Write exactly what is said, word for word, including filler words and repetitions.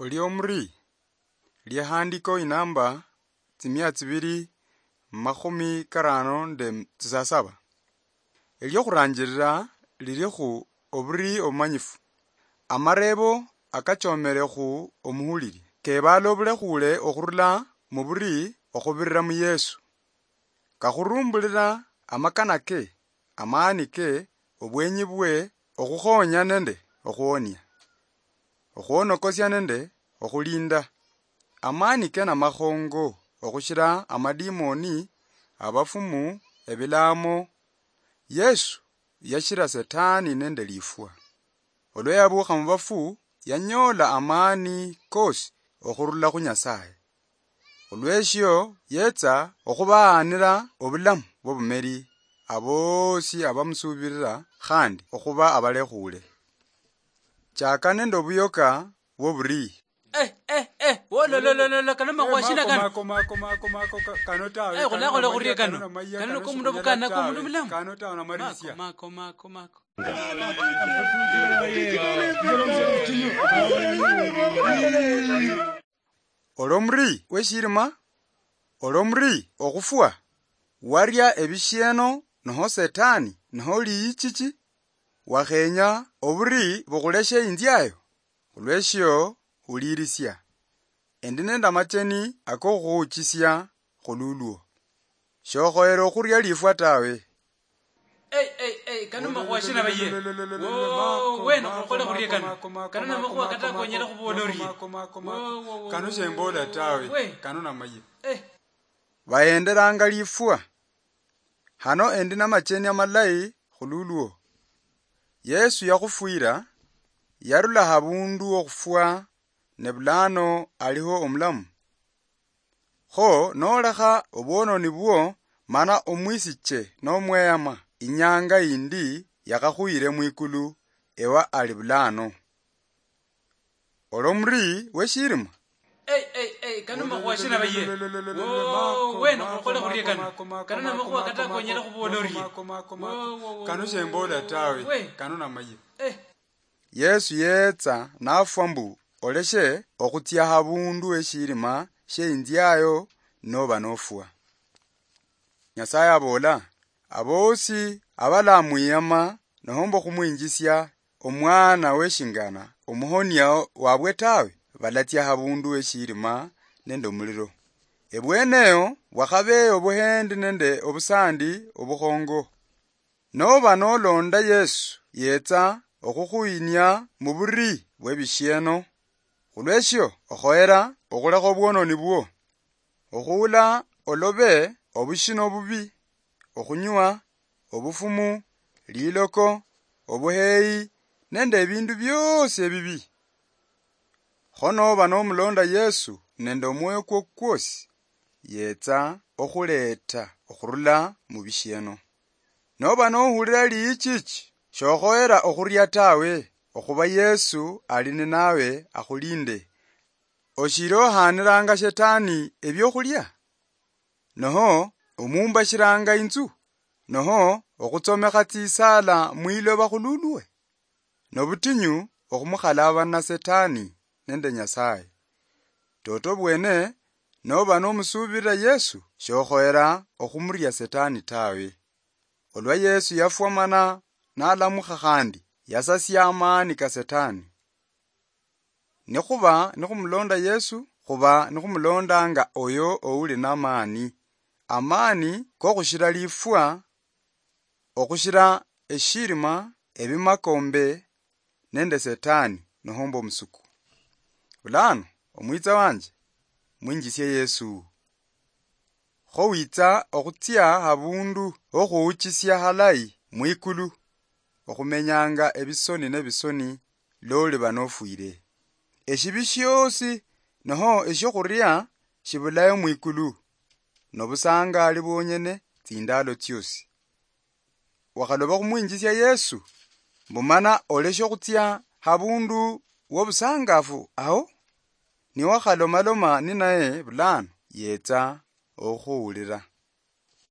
Oli omuri? Lihandiko inamba tsimia tsibiri makhumi karano nde tsisasaba. Eliokhuranjirira liri khu oburi obumanyifu. Amarebo akachomere khu omuhuliri kebala obulekhuule okhurula mu buri okhubirira mu Yesu. Kakhurumbulira amakana ke, amaani ke, obwenyi bwe, okhukhonya nende okhuwonia, okhwonokosia nende okhulinda. Amaani ke namakhongo okhushira amadimoni, abafumu, ebilamo. Yesu yashira Setani nende lifwa. Olwa yabuukha mu bafu, yanyoola amaani koosi okhurula khu Nyasaye. Olweshio yetsa okhubahanira obulamu bw'obumeri aboosi abamusuubirira khandi okhuba abalekhuule. Chaka nende obuyoka bw'oburii. Eh, eh, eh, wololololo, kano makhuwa shina kano? Mako, mako, mako, mako, ka-, kano tawe, eh, kano khulakhola namanya, khurie kano kano. Namanya, kano kano niko omundu shimanya obukana, tawe, komundu mulamu. Kano tawe, namalisia. Mako, mako, mako, mako. Olomuri weshirima, olomuri okhufwa, waria ebishieno, noho Setani, noho liyichichi, wakhenya oburi bukhuleshe inziayo? Khulweshio, hulirisia. Endi nende amacheni akokhuhuchisia khululwo. Shokhoyere okhuria lifwa tawe. Ei, ei, ei, kano makhuwa shina baye? Wo, wena, okhole khurie kano. Kano namakhuwa kata konyala khubola orie. Wo, wo, wo, kano shembola tawe. We. Kano namaye. Eh. Bayenderanga lifwa. Hano endi namacheni amalayi khululwo. Yesu yakhufwira, yarula habundu okhufwa, ne bulano aliho omulamu. Kho nolekha obwononi bwo, mana omwisiche nomweyama, inyanga yindi yakhakhuyire mwikulu, ewa ali bulano. Olomuri weshirima? Ei, ei, ei, kano makhuwa shina baye? Wo, wena, okhole khurie kano. Kano namakhuwa kata konyala khubola orie. Wo, wo, wo, kano shembola tawe. We. Kano namaye. Eh. Yesu yetsa nafwa mbu oleshe okhutsia habundu heshirima sheinziayo noba nofwa. Nyasaye abola, abosi abalamwiyama nohomba okhumwinjisia omwana weshingana omuhonia wabwe tawe, balatsia habundu heshirima nende omuliro. Ebweneyo bwakhabeyo obuhendi nende obusandi obukhongo. Noba nolonda Yesu yetsa okhukhuyinia muburi bwebishieno, khulweshio okhoyera okhulekha obwononi bwo, okhuula olobe obushino obubi, okhunywa, obufumu, liloko, obuheyi, nende ebindu biosi ebibi. Kho noba nomulonda Yesu nende omwoyo kwo kwosi, yetsa okhuleeta okhurula mubishieno. Noba nohulira liichichi, shokhoyera okhuria tawe, okhuba Yesu ali ninawe akhulinde. Oshili ohaniranga Shetani ebiokhulia? Noho omumbashiranga inzu? Noho okhutsomekha tsisala mwiloba khululwe? Nobutinyu okhumukhalabana Setani nende Nyasaye. Toto bwene, noba nomusubirira Yesu, shokhoyera okhumuria Setani tawe. Olwa Yesu yafwa mana nalamukha khandi, yasasia amaani ka Setani. Nikhuba nikhumulonda Yesu, khuba nikhumulondanga oyo ouli namaani, amaani kokhushira lifwa, okhushira eshirima, ebimakombe, nende Setani, nohomba omusuku. Bulano, omwitsa wanje, mwinjisie Yesu. Kho witsa okhutsia habundu hokhuhuchisia halayi mwikulu, okhumenyanga ebisoni nebisoni loliba nofwire. Eshibi shiosi noho eshiokhuria shibulayo mwikulu, nobusangali bwonyene tsindalo tsiosi. Wakhaloba khumwinjisia Yesu, mbu mana oleshe okhutsia habundu wobusangafu aho? Niwakhalomaloma ninaye bulano, yetsa okhukhuwulira.